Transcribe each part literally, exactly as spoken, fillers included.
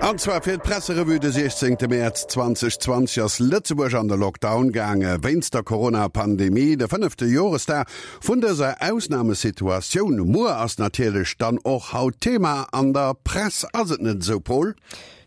An zwar fir d'Presserevue de siechzéngte Mäerz zweedausendzwanzeg ass Lëtzebuerg an de Lockdown gaange wéinst der Corona-Pandemie. De fënnefte Joresdag vun dëser Ausnamesituatioun muer ass natierlech dann och haut Thema an der Press. Ass et net esou, Paul?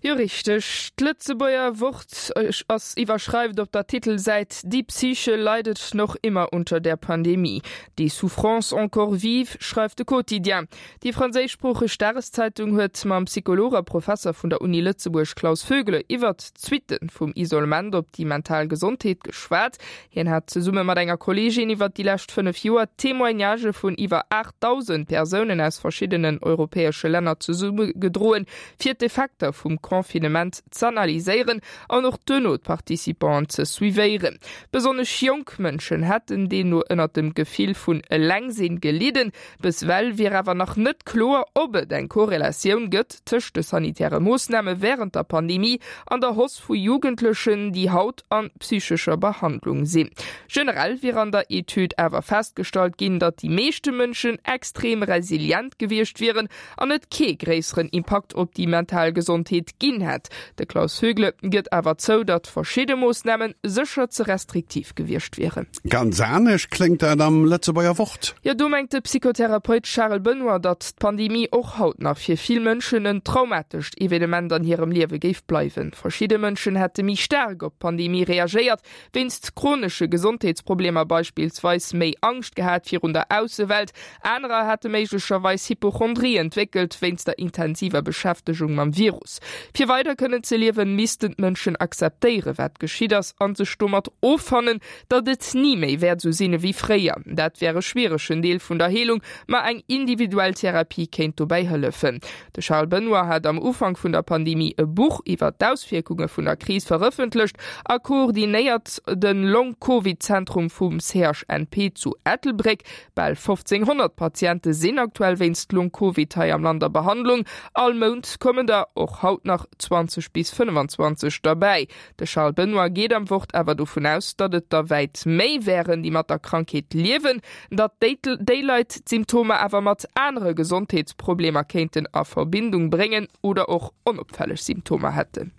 Jo, richteg. D'Lëtzebuerger Wort ass iwwerschreift op der Titelsäit Die Psyche leidet noch immer unter der Pandemie. Des souffrances encore vives, schreift de Quotidien. Déi franséischsproocheg Dageszeitung huet mam Psycholog a Professer vun der Uni Lëtzebuerg Klaus Vögele iwwert d'Suitte vum Isolement op déi mental Gesondheet geschwat. Hien hat zesumme mat enger Kolleegin iwwert déi lescht fënnef Joer Témoignagë vun iwwer aachtdausend Persounen aus verschiddenen europäesche Länner zesummegedroen, fir d'Effekter vum Confinement z'analyséieren an och duerno d'Participanten ze suivéieren. Besonnesch jonk Mënschen hätten deemno ënnert dem Gefill vun Elengsinn gelidden. Bis ewell wier awer nach net kloer, ob et eng Korrelatioun gëtt tëscht de sanitäre Moossname wärend der Pandemie an der Hausse vu Jugendlechen, déi haut an psychescher Behandlung sinn. Generell wier an der Etüd awer festgestallt ginn, datt déi meeschte Mënschen extrem resilient gewiescht wieren an et kee gréisseren Impakt op déi mental Gesondheet ginn hätt. De Klaus Vögele gëtt awer zou, datt verschidde Moossname sécher ze restriktiv gewiescht wieren. Ganz anescht kléngt dat am Lëtzebuerger Wort. Jo, do mengt de Psychotherapeut Charel Benoy, datt d'Pandemie och haut nach fir vill Mënschen en traumatescht Evenement an hirem Liewe géif bleiwen. Verschidde Mënschen hätte méi staark op d'Pandemie reagéiert, wéinst chronesche Gesondheetsproblemer beispillsweis méi Angscht gehat virun der Aussewelt, anerer hätte méiglecherweis Hypochondrie entwéckelt wéinst der intensiver Beschäftegung mam Virus. Fir weider kënnen ze liewen, missten d'Mënschen akzeptéieren, wat geschitt ass, a sech domat offannen, datt et ni méi wäert esou sinn ewéi fréier. Dat wär e schwieregen Deel vun der Heelung, ma eng individuell Therapie kéint dobäi hëllefen. De Charles Benoy hat am Ufank vun der Pandemie e Buch iwwer d'Auswierkunge vun der Kris verëffentlecht a koordinéiert de Long-Covid-Zentrum vum C H N P zu Ettelbréck. Bal fofzénghonnert Patiente sinn aktuell wéinst Long-Covid hei am Land a Behandlung. All Mount kommen der och haut nach zwanzeg bis fënnefenzwanzeg derbäi. De Charles Benoy geet am Wort awer dovun aus, datt et der wäit méi wären, déi mat der Krankheet liewen, datt déi Leit d'Symptomer awer mat anere Gesondheetsproblemer kéinten a Verbindung bréngen oder och onopfälleg Symptomer hätten.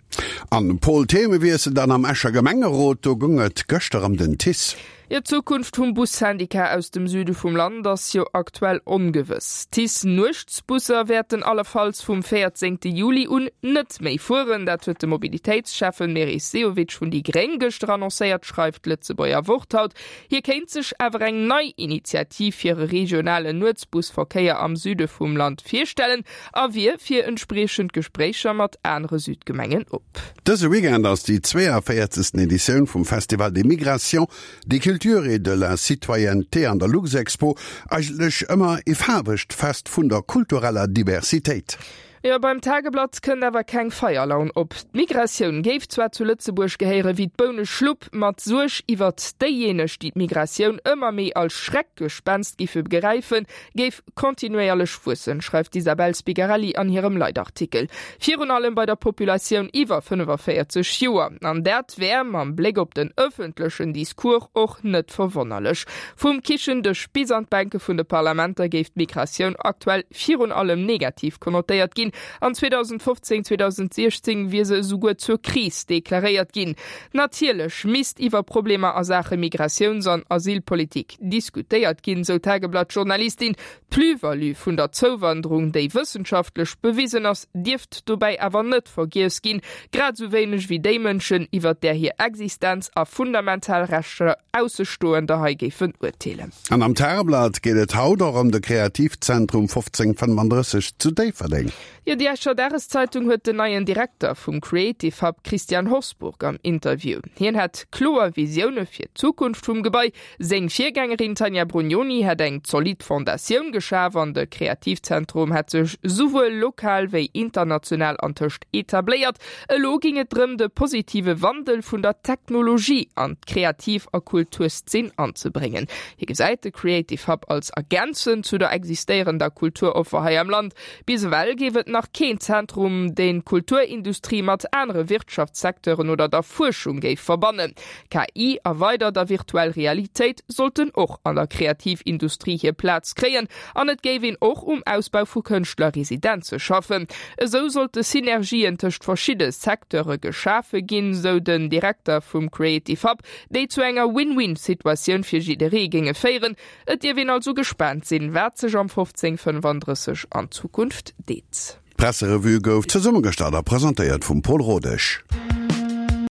An Paul, Themewiessel dann am Escher Gemengerot, do goung et gëschter ëm den T I C E. Jo, d'Zukunft vum Bussyndikat aus dem Süde vum Land ass jo aktuell ongewëss. T I C E-Nuechtsbusser wäerten allefalls vum véierzéngte Juli un net méi fueren. Dat huet de Mobilitéitsschäffen Meris Sehovic vun déi Gréng gëschter annoncéiert, schreift d'Lëtzebuerger Wort haut. Hie kéint sech awer eng nei Initiativ fir e regionalen Nuetsbusverkéier am Süde vum Land virstellen a wier fir entspriechend Gespréicher mat anere Südgemengen op. Dëse Weekend ass déi zweeënvéierzegsten Editioun vum Festival des Migrations, des Cultures et de la Citoyenneté an der Luxexpo, eigentlech ëmmer e faarwegt Fest vun der kultureller Diversitéit. Jo, beim Tageblatt kënnt awer keng Feierlaun op. D'Migratioun géif zwar zu Lëtzebuerg gehéiere wéi d'Bouneschlupp, ma d'Suerg iwwert déijéineg, déi d'Migratioun ëmmer méi als Schreckgespenst géife begräifen, géif kontinuéierlech wuessen, schreift d'Isabel Spigarelli an hirem Leitartikel. Virun allem bei der Populatioun iwwer fënnefenvéierzeg Joer. An dat wär mam Bléck op den ëffentlechen Discours och net verwonnerlech. Vum Kichendësch bis an d'Bänke vun de Parlamenter géif d'Migratioun aktuell virun allem negativ konnotéiert ginn. An zweedausendfofzéng, zweedausendsiechzéng wier se esouguer zur Kris deklaréiert ginn. Natierlech misst iwwer Problemer a Saache Migratiouns an Asylpolitik diskutéiert ginn, sou d'Tageblatt-Journalistin. D'Plus-value vun der Zouwanderung, déi wëssenschaftlech bewisen ass, dierft dobäi awer net vergiess ginn, grad esou wéineg wéi déi Mënschen, iwwer där hir Existenz a fundamental Rechter Aussestoender hei géifen urteelen. An am Tageblatt geet et haut och ëm de Kreativzentrum fofzéng fënnefandrësseg zu Déifferdeng. Jo, déi Escher Dageszeitung huet den neien Direkter vum Creative Hub Christian Hosburg am Interview. Hien hätt kloer Visioune fir d'Zukunft vum Gebai. Seng Virgängerin Tanja Brugnoni hätt eng zolidd Fondatioun geschaf an de Kreativzentrum hätt sech souwuel lokal wéi international antëscht etabléiert. Elo géing et drëm, de positive Wandel vun der Technologie an d'Kreativ a Kulturszeen anzebréngen. Hie gesäit de Creative Hub als Ergänzung zu der existéierender Kulturoffer hei am Land. Bis ewell géif et nach keen Zentrum, deen d'Kulturindustrie mat anere Wirtschaftssecteuren oder der Fuerschung géif verbannen. KI a weider der virtuell Realitéit sollten och an der Kreativindustrie hir Plaz kréien an et géif een och um Ausbau vu Kënschtlerresidenze schaffen. Esou sollte Synergien tëscht verschidde Secteure geschafe ginn, sou den Direkter vum Creative Hub, déi zu enger Win-Win-Situatioun fir jidderee géinge féieren. Et dierf een also gespaant sinn, wat sech am fofzéng fënnefandrësseg an Zukunft deet. D'Presserevue gouf zesummegestallt a presentéiert vum Paul Rodesch.